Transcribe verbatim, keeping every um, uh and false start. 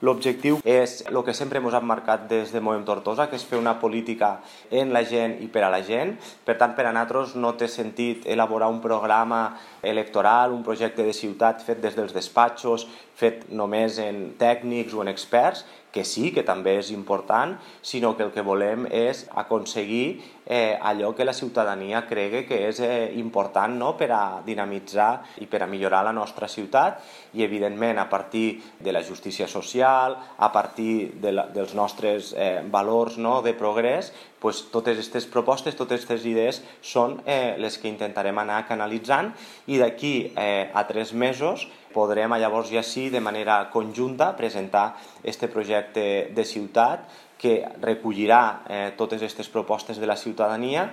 L'objectiu és el que sempre ens hem marcat des de Movem Tortosa, que és fer una política en la gent i per a la gent. Per tant, per a nosaltres no té sentit elaborar un programa electoral, un projecte de ciutat fet des dels despatxos, fet només en tècnics o en experts, que sí, que també és important, sinó que el que volem és aconseguir eh, allò que la ciutadania cregui que és eh, important, no?, per a dinamitzar i per a millorar la nostra ciutat i, evidentment, a partir de la justícia social, a partir de la, dels nostres eh, valors, no?, de progrés, pues, totes aquestes propostes, totes aquestes idees són eh, les que intentarem anar canalitzant i d'aquí eh, a tres mesos podrem llavors ja sí de manera conjunta presentar este projecte de ciutat que recollirà eh, totes aquestes propostes de la ciutadania